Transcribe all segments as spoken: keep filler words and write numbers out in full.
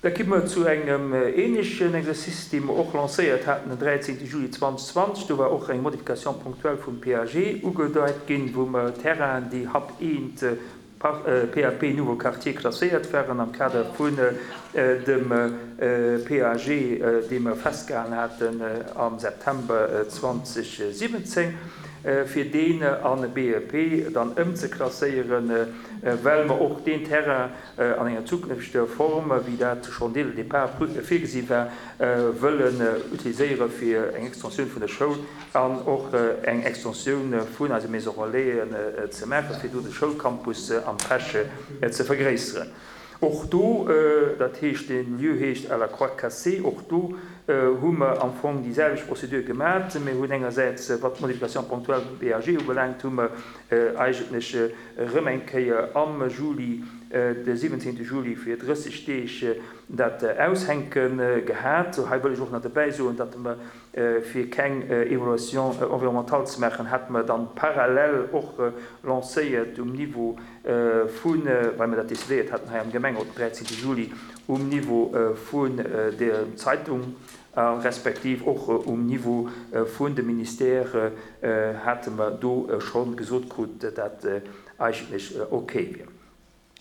Da komme mer zu engem ähnlechen Exercice, dee mer och lancéiert haten den dräizéngte Juli zweedausendzwanzeg. Do war och eng Modification ponctuelle vum P A G ugedeit ginn, wou mer Terrainen, déi H A P eent P A P Nouveau Quartier klasséiert waren am Kader vun dem P A G, dee mer festgehalen haten am September zweedausendsiwwenzéng, fir deen an B E P dann ëmzeklasséieren, well mer och deen Terrain an enger zukünfteger Form, wéi dat schonn dès le départ virgesi war, wëllen utiliséiere fir eng Extensioun vun der Schoul an och eng Extensioun vun eise Maison Relaisen ze maachen, fir do de Schoulcampus am Pesch ze vergréisseren. Och do, dat heescht, de Lieu heescht à la Croix Cassée, och do hu mer am Fong déi selwecht Prozedur gemaach. Mir hunn engersäits, wat d'Modification ponctuelle vum P A G ubelaangt, hu mer eigentlech erëm eng Kéier am Juli, de siwwenzéngte Juli, fir drësseg Deeg dat aushänke gehat. Hei wëll ech och nach dobäi soen, datt mer fir keng Évaluation environnementale ze maachen, hat mer dann parallel och lancéiert um Niveau vun, well mer dat decidéiert haten hei am Gemengerot den dräizéngte Juli, um Niveau vun der Zeitung respektiv och um Niveau vun de Ministère hate mer do scho gesot krut, dat eigentlech okay wier.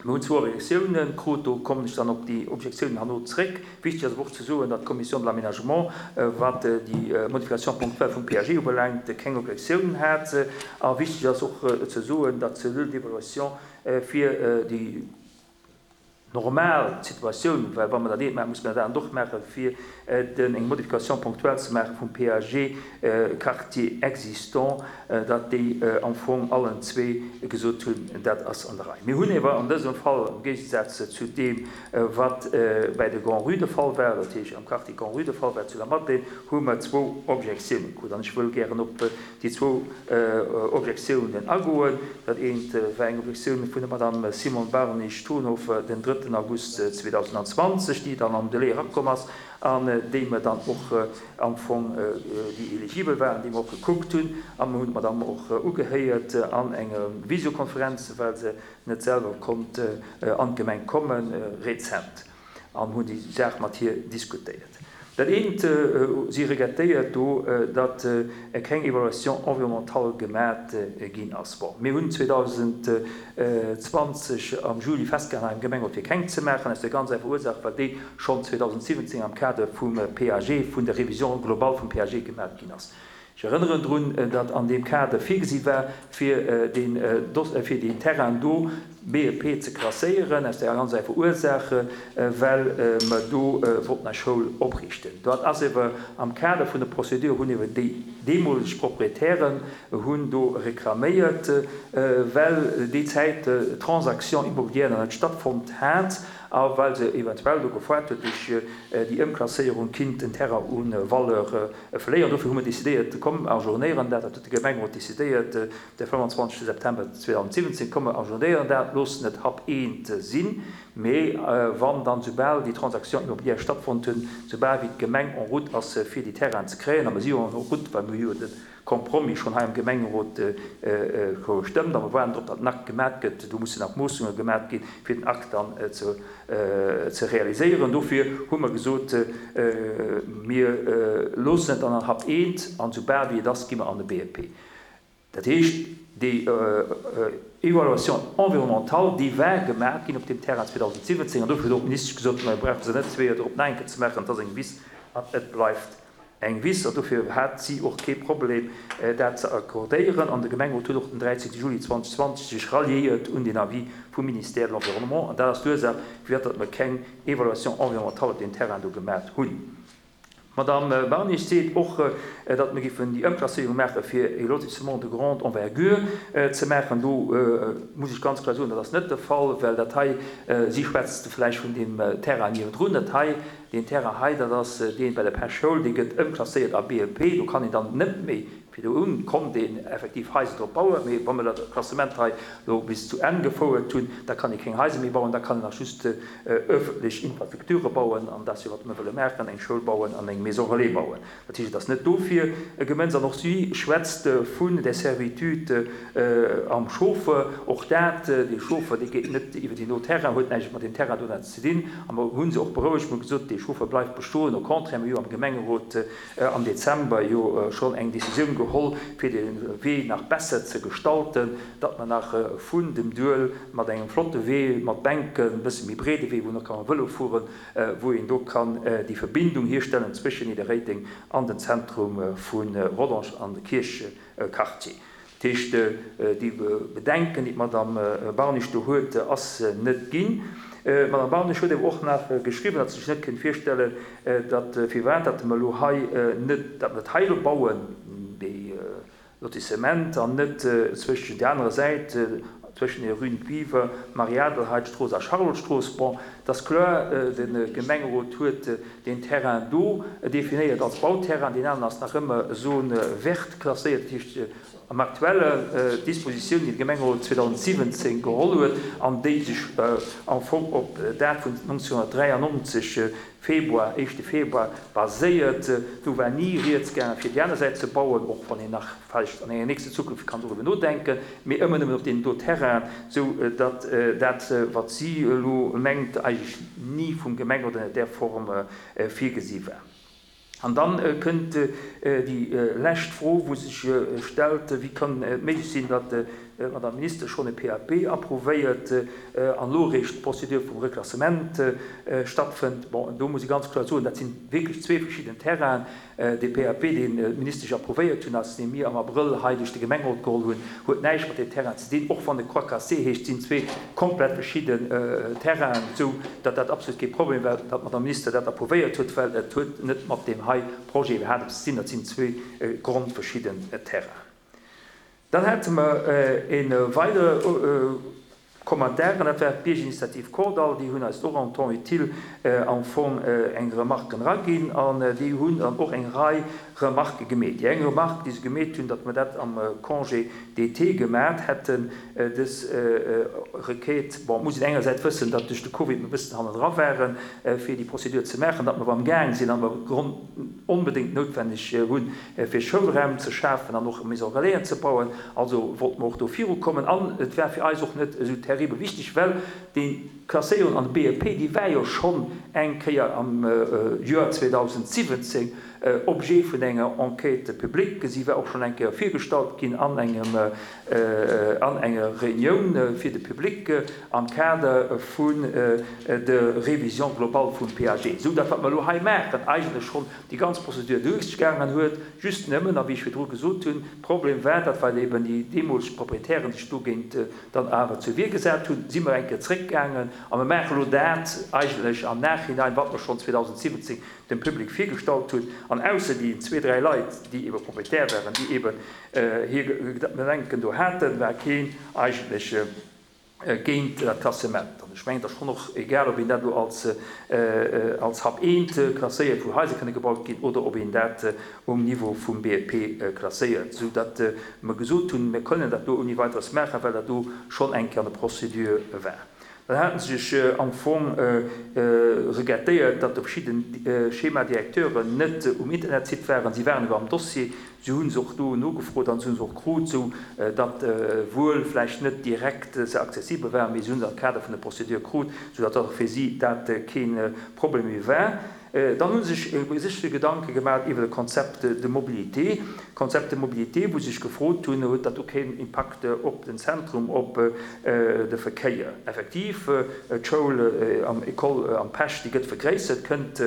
Mir hunn zwou Objektiounen krut, do kommen ech dann op déi Objektiounen herno zréck. Wichteg ass awer och ze soen, datt d'Commission de l'aménagement, wat déi Modification ponctuelle vum P A G ubelaangt, keng Objektiounen hat. A wichteg ass och ze soen, datt d'Cellule d'évaluation fir déi normal Situatioun, well wa mer dat eent maachen, muss mer dat anert och maachen, fir den eng Modification ponctuelle ze maache vum P A G Quartier existant, datt déi am Fong allen zwee gesot hunn, dat ass an der Rei. Mir hunn awer an dësem Fall, am Géigesaz zu deem, wat bei de Grand-Rue de Fall war, dat heescht am Quartier Grand-Rue de Fall war zu der Madeleine, hu mer zwou Objektiounen krut. An ech wëll gären op déi zwou Objektiounen agoen. Dat eent war eng Objektioun vun der Madame Simone Barnich-Thonhofer den drëtten August zweedausendzwanzeg, déi dann am Delai erakomm ass an déi mer dann och am Fong, déi eligibel waren, déi mer och gekuckt hunn. A mer hunn d'Madame och ugehéiert an enger Visiokonferenz, well se net selwer konnt an d'Gemeng kommen, rezent, an hunn déi Saach mat hir diskutéiert. Dat eent, si regrettéiert do, datt keng Évaluation environnementale gemaach ginn ass. Bon, mir hunn zweedausendzwanzeg am Juli festgehalen am Gemengerot, fir keng ze maachen, aus der ganz einfacher Ursaach, well déi schonn zweedausensiwwenzéng am Kader vum P A G, vun der Révision globale vum P A G gemaach ginn ass. Ech erënneren drun, datt an deem Kader virgesi war, fir den, fir den Terrain do B E P ze klasséieren, aus der ganz einfacher Ursaach, well mer do wollten eng Schoul opriichten. Dat ass awer am Kader vun der Prozedur, hunn ewer déi deemoleg Proprietären hunn do reklaméiert, well déi Zäit d'Transaction immobilière nach net stattfonnt hat a well se eventuell do gefoart huet, duerch déi Ëmklasséierung kinnt den Terrain u Valeur verléieren. Dofir hu mer decidéiert, komm, ajournéieren dat, dat huet de Gemengerot decidéiert de fënnfanzwanzegste September zweedausensiwwenzéng, komm, mer ajournéieren dat, loossen et H A P eent sinn, mee wann dann soubal déi Transaction immobilière stattfonnt hunn, soubal wéi d'Gemeng en route ass fir déi Terrainen ze kréien, a mer si jo en route, well mir hu jo de Compromis schonn hei am Gemengerot gestëmmt a mer waarden drop, datt den Akt gemat gëtt. Do mussen nach Moossunge gemat ginn, fir den Akt dann ze ze realiséieren. Dofir hu mer gesot, mir loossen et dann an H A P eent an soubal wéi et ass, gi mer an de B E P. Dat heescht, déi Évaluation environnementale, déi war gemaach ginn op deem Terrain zweedausensiwwenzéng, an dofir huet och d'Ministesch gesot, mer brauche se net zwee Joer drop nach eng Kéier ze maachen, et ass eng Wiss an et bleift eng Wiss. An dofir hat si och kee Problem, dat ze accordéieren. An de Gemengerot huet och den dräizéngte Juli zweedausendzwanzeg sech ralliéiert un den Avis vum Ministère de l'Environnement. An dat ass d'Ursaach, firwat datt mer keng Évaluation environnementale op deem Terrain do gemaach hunn. D'Madame Barnich seet och, datt mer géifen déi Ëmklasséierung maache fir e Lotissement de grande envergure ze maachen. Do muss ech ganz kloer soen, dat ass net de Fall, well dat hei, si schwätzt vläicht vun deem Terrain niewendrun, dat hei, deen Terrain hei, dat ass dee bei der Pesch Schoul, dee gëtt ëmklasséiert a B E P. Do kann een dann net méi Virdrun konnt een effektiv Haiser drop bauen, mee wa mer dat Klassement hei elo bis zu Enn gefouert hunn, da kann ee keng Haiser méi bauen, da kann een nach just öffentlech Infrastrukture bauen, an dat ass jo, wat mer wëlle maachen, eng Schoul bauen an eng Maison relais bauen. Dat heescht, et ass net dofir gemënzt. An och si schwätzt vun der Servitude am Chauffer. Och dat, dee Chauffer, dee geet net iwwer déi no Terrain, huet näischt mat deem Terrain do ze dinn. A mer hu se och berouegt, mer hu gesot, dee Chauffer bleift bestoen. Au contraire, mir hu jo am Gemengerot am Dezember jo schonn eng Décisioun geholl, fir de Wee nach besser ze gestalten, datt mer nach vun dem Duel mat engem flotte Wee mat Bänken, e bësse méi breede Wee, wou een och ka mam Vëlo fueren, wou een do kann déi Verbindung hierstellen zwëschen Nidderréideng an den Zentrum vu Rodange an de Kierchquartier. Dat heescht, déi Bedenken, déi d'Madame Barnich do huet, ass net ginn. D'Madame Barnich huet awer och nach geschriwwen, datt se sech net kéint virstellen, datt firwat datt mer elo hei net, datt mer dat hei elo bauen, dee Lotissement, an net zwëschen där anerer Säit, zwëschen der Rue Biwer, Marie-Adelheid-Strooss a Charlotte-Strooss. Bon, et ass kloer, de Gemengerot huet deen Terrain do definéiert als Bauterrain, deen aneren ass nach ëmmer Zone verte klasséiert, dat heescht am aktuellen Dispositioun, déi de Gemengerot zweedausendsiwwenzéng geholl huet an déi sech am Fong op dat vun nonzénhunnertdräiannonzeg, Februar, éischte Februar, baséiert. Do war ni rieds gaangen, fir déi aner Säit ze bauen, och wann een nach vläicht an enger nächster Zukunft kann doriwwer nodenken, mee ëmmer nëmmen op deenen do Terrainen, sou datt dat, wat si elo mengt, eigentlech ni vum Gemengerot ënner där Form virgesi war. An dann kënnt déi lescht Fro, wou sech stellt, Wéi kann et méiglech sinn, datt d'Madame Minister schonn e P A P approuvéiert an elo eréischt d'Procédure vum Reklassement stattfënnt? Bon, do muss ee ganz kloer soen, dat si wierklech zwee verschidden Terrainen. Dee P A P, deen d'Ministesch approuvéiert hunn, ass, dee mir am Abrëll hei duerch de Gemengerot geholl hunn, huet näischt mat deem Terrain ze dinn. Och wann e Croix cassée heescht, sinn zwee komplett verschidden Terrainen, esou datt dat absolut kee Problem war, datt d'Madame Minister dat approuvéiert huet, well et huet net mat deem hei Projet iwwerhaapt eppes ze dinn. Dat sinn zwee grondverschidden Terrainen. Dann hate mer e weidere Commentaire, an dat war d'Biergerinitiativ Kordall. Déi hunn eis och en temps utile am Fong eng Remarque eraginn an déi hunn dann och eng Rei Remarquë gemeet. Déi eng Remarque, déi se gemeet hunn, datt mer dat am Congé d'été gemat hätten, dës Requête. Bon, et muss een engersäits wëssen, datt duerch de Covid mer e bëssen hannendra waren, fir déi Procédure ze maachen, datt mer awer amgaang sinn an mer onbedéngt noutwenneg hunn, fir Schoulraum ze schafen an och Maison relaisen ze bauen. Also wollte mer och do virukommen. An et war fir eis och net esou terribel wichteg, well déi Klasséierung an de B E P, déi war jo schonn eng Kéier am Joer zweedausendsiwwenzéng Objet vun enger Enquête publique. Si war och schonn eng Kéier virgestallt ginn an engem, an enger Reunioun fir de Public am Kader vun der Révision globale vum P A G, esou datt wat mer elo hei maachen eigentlech schonn déi ganz Procédure duerchgaangen huet, just nëmmen, a wéi ech virdru gesot hunn, Problem war, datt well eben déi deemoleg Proprietären sech dogéint dann awer zur Wier gesat hunn, si mer eng Kéier zréckgaangen a mer maache elo dat eigentlech am Nachhinein, wat mer schonn zweedausendsiwwenzéng dem Public virgestallt hunn. An ausser déi zwee, dräi Leit, déi ebe Proprietär waren, déi eben hir Bedenken do haten, war keen eigentlech géint dat Klassement. An ech mengen, et ass schonn och egal, ob een dat elo als, als Hub eent klasséiert, wou Haiser kënne gebaut ginn, oder ob een dat um Niveau vum B E P klasséiert, soudatt mer gesot hunn, mir kënnen dat do ouni Weiteres maachen, well dat do schonn eng Kéier an der Procédure war. Dann hate se sech am Fong regrettéiert, datt verschidde Schéma-directeuren net um Internetsite waren. Si waren awer am Dossier, si hu se och do nogefrot an si hu se och krut, sou datt wuel vläicht net direkt se accessibel waren, mee si hu se am Kader vun der Procédure krut, sou datt och fir si dat kee Problem méi war. Dann hu se sech sech Gedanke gemaach iwwer e Concept de mobilité. Concept de mobilité, wou se sech gefrot hunn, huet dat do keen Impakt op den Zentrum, op de Verkéier? Effektiv, d'Schoul am École am Pesch, déi gëtt vergréissert, kënnt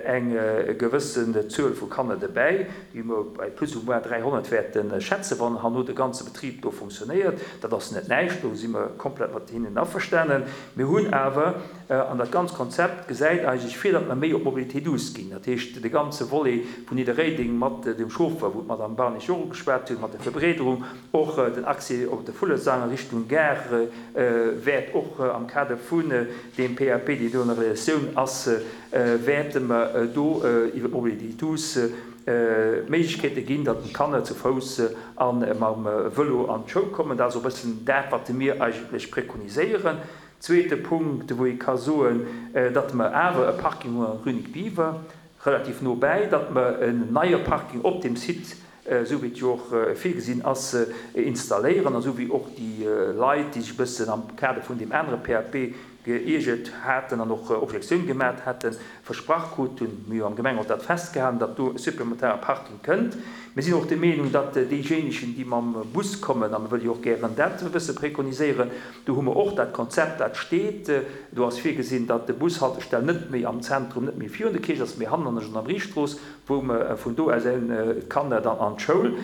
eng gewëssen Zuel vu Kanner derbäi, déi mer bei plus ou moins dräihonnert wäerte schätzen, wann herno de ganze Betrib do funktionéiert. Dat ass net näischt, do si mer komplett mat hinnen averstanen. Mir hunn awer, an dat ganz Konzept gesäit eigentlech vir, datt mer méi op Mobilitéit Mobilité douce ginn. Dat heescht, de ganze Volet vun Nidderréideng mat dem Chauffer, wou d'Madame Barnich och ugeschwat huet, mat der Verbreederung, och den Accès op de Vullesang a Richtung Gare wäert och am Kader vun deem P A P, deen do an der Realisatioun ass, wäerte mer do iwwer d'Mobilité douce Méiglechkeete ginn, datt d'Kanner zu Fouss a mam Vëlo an d'Schoul kommen. Dat ass och e bëssen dat, wat mir eigentlech prekoniséieren. Zweete Punkt, wou ee ka soen, datt mer awer e Parking hunn an Rue Nic Biver, relativ no bäi, datt mer en neie Parking op dem Site, esou wéi et jo och virgesinn ass, installéieren, an esou wéi och déi Leit, déi sech e bëssen am Kader vun deem anere P A P geiergert haten an och Objektioun gemaat haten, versprach kruten, mir hu am Gemengerot dat festgehalen, datt do e supplementare Parking kënnt. Mir sinn och der Meenung, datt déijéinegen, déi mam Bus kommen, a mir wëlle jo och gären dat e bësse prekoniséieren, do hu mer och dat Konzept, dat steet, do ass virgesinn, datt de Bushaltestell net méi am Zentrum, net méi virun der Kierch ass, mee hannen an der Gendarmeriestrooss, wou mer vun do aus d'Kanner dann an d'Schoul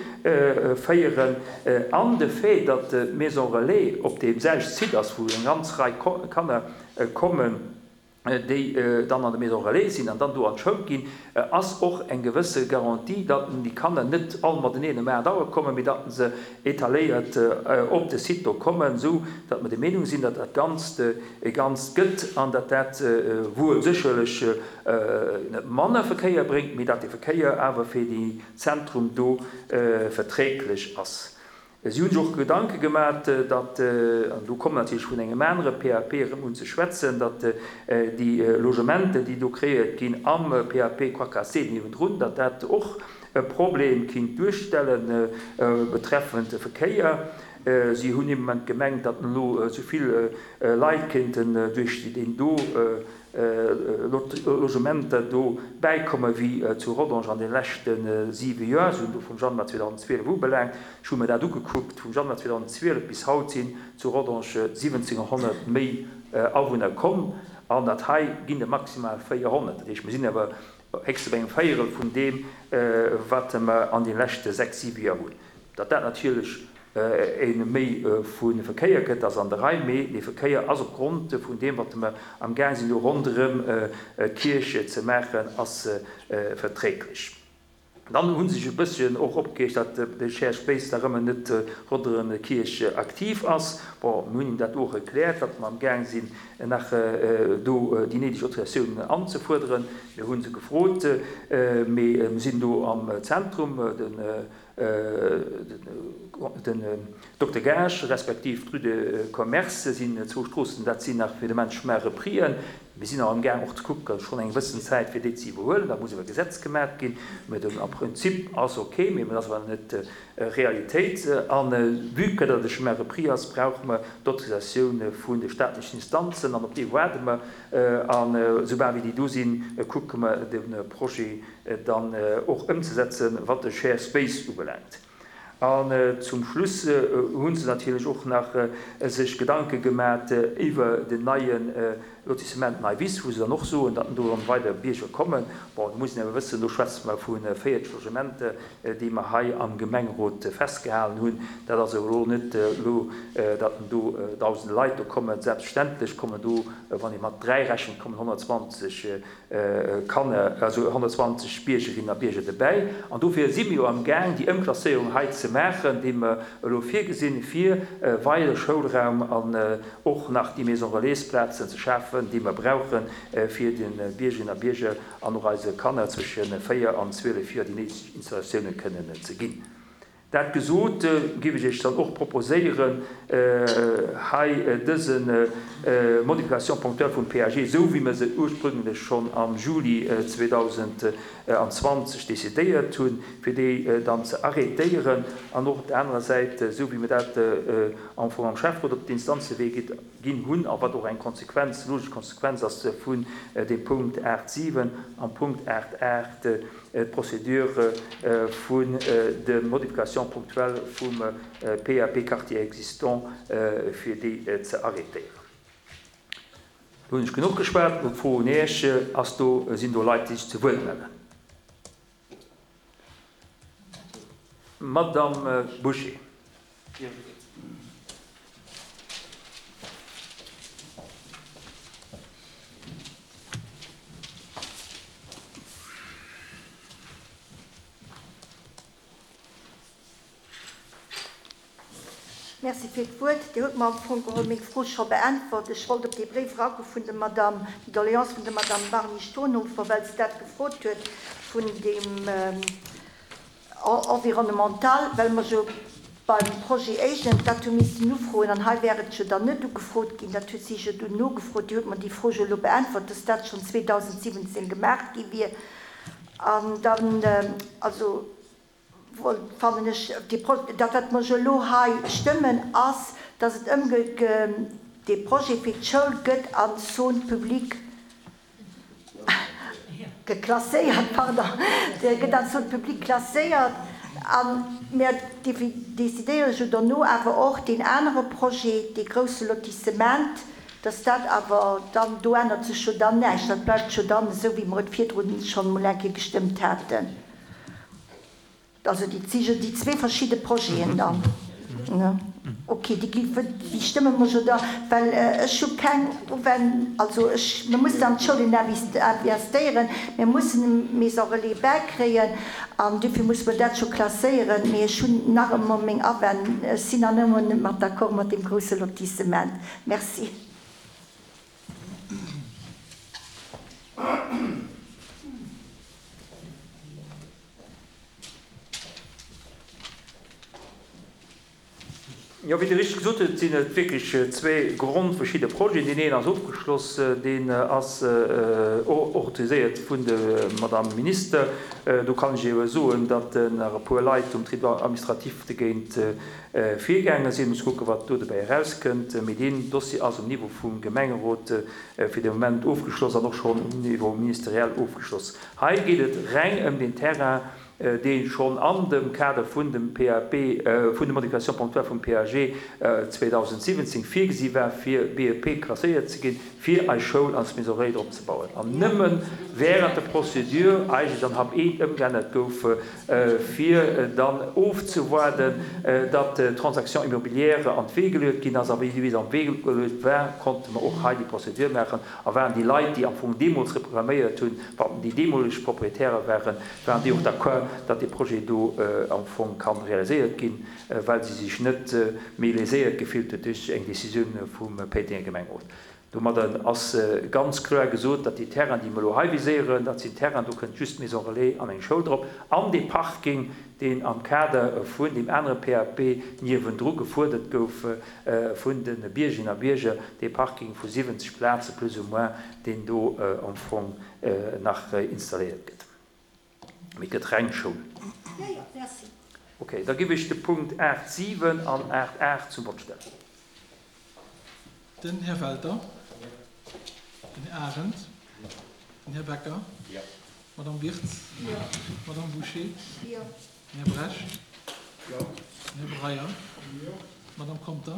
féieren. An de Fait, datt d'Maison Relais op deem selwechte Site ass, wou eng ganz Rei Kanner kommen, déi dann an der Maison Relais sinn an dann do an d'Schoul ginn, ass och eng gewësse Garantie, datt déi Kanner net all mateneen um aacht Auer kommen, mee datt se etaléiert op de Site do kommen, sou datt mer der Meenung sinn, datt dat Ganzt e Ganzt gëtt an datt dat wuel sécherlech net manner Verkéier bréngt, mee datt de Verkéier awer fir déi Zentrum do verträglech ass. Si hunn sech och Gedanke gemaach, datt, an do kommen natierlech vun engem anere P A P erëm un ze schwätzen, datt déi Logementen, déi do kreéiert ginn am P A P Croix-Cassée niewendrun, datt dat och e Problem kinnt duerstellen betreffend de Verkéier. Si hunn im Moment gemengt, datt elo so vill Leit kéinten duerch den do Logementer do bäikomme wéi zu Rodange an den leschte siwe Joer, si hunn do vum Januar zweetausendzwielef ubelaangt. Ech hu mir dat ugekuckt, vum Januar zweetausendzwielef bis haut sinn zu Rodange siwwenzehnhonnert méi Awunner komm, an dat hei ginn der maximal véierhonnert. Dat heescht, mir sinn awer héchstens bei engem Véierel vun deem, wat mer an den leschte sechs, siwe Joer hunn. Datt dat natierlech e méi vu Verkéier gëtt, ass an der Rei, mee de Verkéier ass opgrond vun deem, wat mer am Gang sinn, do ronderëm d'Kierch ze maachen, ass verträglech. Dann hunn sech e bësschen och opgereegt, datt de Share Space da rëmmer net ronderëm d'Kierch aktiv ass. Bon, mir hunn ihm dat och erkläert, datt mer am Gang sinn, nach do déi néideg Autorisatiounen anzefuerderen. Mir hunn se gefrot, mee mir sinn do am Zentrum, den, den Dokter Gage, respektiv d'Rue de Commerce sinn zwou Stroossen, dat sinn nach fir de Mensch mehr Reprien. Mir sinn auch am Gang och ze kucken, schon eng gewëssen Zäit fir déi ze iwwerhuelen, da muss iwwer Gesetz gemaach ginn. Mee dem, am Prinzip ass okay, mee dat ass awer net Realitéit. An vue que dat de Chemin repris ass, brauche mer d'Autorisatioun vun de staatlichen Instanzen an op déi waarde mer. An soubal wéi déi do sinn, kucke mer de Projet dann och ëmzesetzen, wat de Share Space ubelaangt. An zum Schluss hunn se natierlech och nach sech Gedanke gemaach iwwer den neien Lotissement Neiwiss, wou se dann och soen, datt do dann weider Bierger kommen. Bon, do muss een awer wëssen, do schwätze mer vu véierzeg Logementer, déi mer hei am Gemengerot festgehalen hunn. Dat ass elo net elo, datt do dausende Leit do kommen. Selbstverständlech kommen do, wann ee mat dräi rechent, kommen honnertzwanzeg Kanner, also honnertzwanzeg Biergerinnen a Bierger dobäi. An dofir si mir jo am Gang, déi Ëmklasséierung hei ze maachen, déi mer elo virgesinn, fir weider Schoulraum an och nach déi Maison Relais-Plazen ze schafen, déi mer brauchen, fir de Biergerinnen a Bierger an och eise Kanner zwësche véier an zwielef Joer déi néideg Installatiounen kënnen ze ginn. Dat gesot, géif ech iech dann och proposéieren, hei dëse Modification ponctuelle vum P A G, sou wéi mer se ursprünglech schonn am Juli zweetausendzwanzeg decidéiert hunn, fir déi dann ze arrêtéieren an och op der anerer Säit, sou wéi mir dat am Fong am Schäfferot op d'Instanzewee ginn hunn, a wat och eng Konsequenz, logesch Konsequenz ass vun dem Punkt acht siwen am Punkt acht acht, d'Procédure vun de Modification ponctuelle vum P A P Quartier existant fir déi ze arrêtéieren. Do hunn ech genuch geschwat. Lo d'Fro un Iech, ass do, sinn do Leit, déi sech zu Wuert mellen? Madame Boucher. Merci fir d'Wuert. Dir hutt mer am Fong geholl meng Fro scho beäntwert. Ech wollt op dee Bréif eragoe vun der Madame, déi Doléance vun der Madame Marny Stonhofer, well se dat gefrot huet vun deem Environnemental, well mer jo beim Projet Agent dat hu missen ufroen an hei wär et jo dann net ugefrot ginn. Dat huet si jo dunn nogefrot. Dir hutt mer déi Fro jo elo beäntwert, dass dat schonn zweedausendsiwwenzéng gemaach gi wier. An dann, also, fannen ech, dat wat mer jo elo hei stëmmen, ass, dass et ëmge dee Projet fir d'Schoul gëtt an Zone publique geklasséiert, pardon, gëtt an Zone publique klasséiert a mir decidéiere jo dono awer och deen anere Projet, dee grousse Lotissement, dass dat awer dann, do ännert sech jo dann näischt, dat bleift jo dann esou wéi mer et virdrun schonn emol eng Kéier gestëmmt haten. Also déi si jo déi zwee verschidde Projeten dann, ne? Ok, déi gi, déi stëmme mer jo da, well ech hu keng Uwenn, also ech, mir mussen an d'Schoulen investéieren, mir mussen e Maison relais bäikréien an dofir musse mer dat scho klasséieren, mee ech hunn nach ëmmer meng Awänn, ech sinn nach ëmmer net mat d'accord mat deem grousse Lotissement. Merci. Jo, wéi Dir richteg gesot hutt, sinn et wierklech zwee grondverschidde Projeten. Deen een ass ofgeschloss, deen ass autoriséiert vun der Madame Minister. Do kann ech Iech soen, datt nach e puer Leit um Tribunal administratif dogéint virgaange sinn. Muss kucken, wat do dobäi erauskënnt. Mee deen Dossier ass um Niveau vum Gemengerot fir de Moment ofgeschloss an och schonn um Niveau ministeriell ofgeschloss. Hei geet et reng ëm deen Terrain, dee schonn an dem Kader vun dem P A P, vun der Modification ponctuelle vum P A G zweedausendsiwwenzéng virgesi war, fir B E P klasséiert ze ginn, fir eis Schoul als Maison relais drop ze bauen. An nëmme während der Procédure eigentlech an Hap eent ëmgeännert gouf, fir dann ofzewaarden, datt d'Transaction immobilière an d'Wee geluet ginn ass. A wéi se an d'Wee geluet war, konnte mer och hei déi Procédure maachen a waren déi Leit, déi am Fong deemools reklaméiert hunn, wat déi deemoleg Proprietäre waren, waren déi och d'accord, datt dee Projet do am Fong kann realiséiert ginn, well si sech net méi léséiert gefillt huet duerch eng Décisioun vum Péitenger Gemengerot. Domadder ass ganz kloer gesot, datt déi Terrainen, déi mer elo hei viséieren, dat sinn Terrainen, do kënnt just d'Maison relais an eng Schoul drop, an dee Parking, deen am Kader vun deem anere P A P niewendru gefuerdert gouf vun de Biergerinnen a Bierger, dee Parking vu siwwenzeg Plaze plus ou moins, deen do am Fong nach installéiert gëtt. Mee et gëtt reng Schoul. Jo, jo, merci. Okay, da giff ech de Punkt aacht siwen an aacht aacht zum Vott stellen. Den Här Welter. Den Här Arendt. Den Här Becker. D'Madame Wirtz. D'Madame Bouché. Den Här Bresch. Den Här Breyer. D'Madame Conter.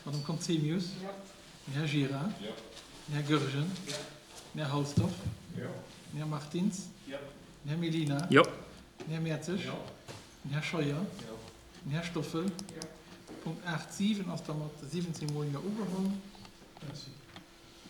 D'Madame Conzemius. Den Här Gira. Den Här Goergen. Den Här Halsdorf. Den Här Martins. Den Här Mellina. Den Här Mertzig. Den Här Scheuer. Den Här Stoffel. Punkt aacht siwen ass da mat siwwenzéng mol Jo ugeholl. Merci.